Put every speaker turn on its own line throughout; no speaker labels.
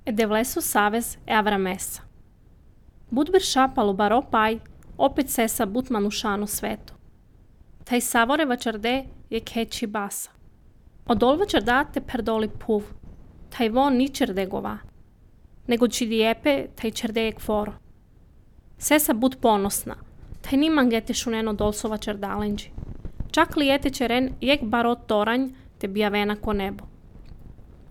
e devlesu savez e Avramesa. Bud Bersha palubaro pai, opet sesa but manušano svetu. Taj savore vačarde je keči basa. Odol vačarda te perdoli puv, taj von ni čerde gova, nego čidijepe taj čerde je kvoro. Sesa bud ponosna, taj ni mangete šuneno dolso vačardalenđi. Čak li jete čeren jek barot toranj te bijavena ko nebo.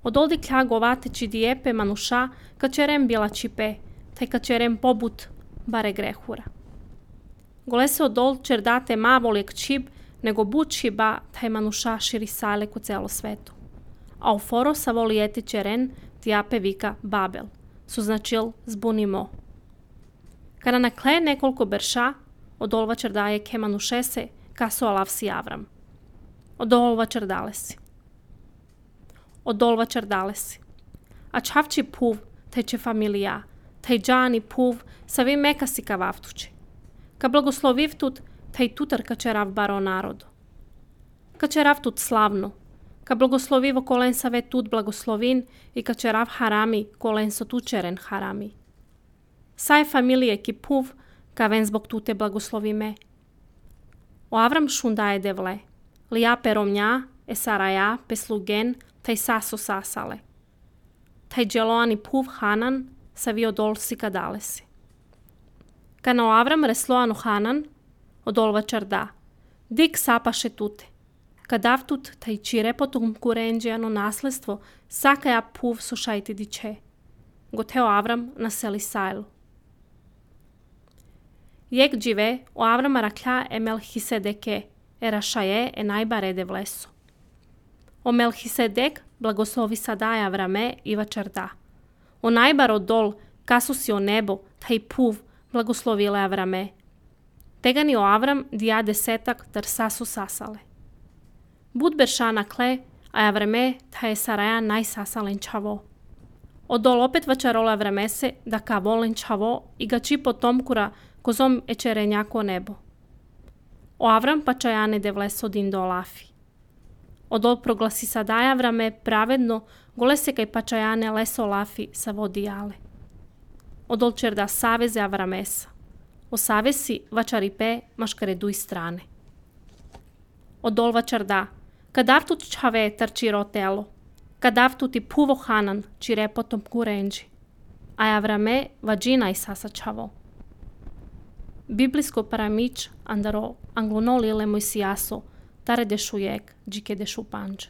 Odoldi kja govate čidijepe manuša ka čeren bila čipe, taj ka čeren pobut bare grehura. Gole se odol čerdate mavolijek čib, nego bud čiba taj manuša širi sale ku celo svetu. A u foro sa volijete čeren tijape vika Babel, su značil zbunimo. Kada nakle nekoliko berša, odol vačardaje ke manušese kaso alavsi Avram. Odol vačardalesi. Odol vačardalesi. A čavči puv, taj če familija, taj džani puv, sa vi mekasi ka vavtuči. Ka blagosloviv tut, taj tutar ka čerav baro narodu. Ka čerav tut slavno, ka blagoslovivo kolen sa ve tut blagoslovin i ka čerav harami kolen so tu čeren harami. Saj familije ki puv, ka ven zbog tute blagoslovime. O Avram šundaje devle, lija peromnja, e saraja, peslugen, taj saso sasale. Taj dželoani puv Hanan, sa vi odol si kadalesi. Kana o Avram resloanu Hanan, odol vačarda, dik sapaše tute. Kadav tut taj čire potom kurenđijano nasledstvo, sakaja puv su šajti diče. Goteo Avram naseli sajlu. Jek džive o Avrama raklja e Melchisedeke, e rašaje e najbare devlesu. O Melchisedek blagoslovi sadaje Avrame i vačarda. O najbar odol, kasu si o nebo, taj puv, blagoslovile Avrame. Tegani o Avram dija desetak dar sasu sasale. Bud Berša nakle, a Avrame taj je saraja najsasalen čavo. Odol opet vačarola Avramese da ka volen čavo i ga či potomkura kozom ečerenjako nebo. O Avram pačajane devleso din do Olafi. Odol proglasi sadaja Avrame pravedno, gole se kaj pačajane leso Olafi sa vodijale. Odol čerda saveze Avramesa. O savesi vačaripe maškareduj strane. Odol vačarda, kadav tut čave trči rotelo, kadav tuti puvo Hanan čire potom kurenđi, a Avrame vađina i sasa čavo. Biblijsko paramič andaro anglonolile moj sijaso, tare dešujek, džike dešu panđ.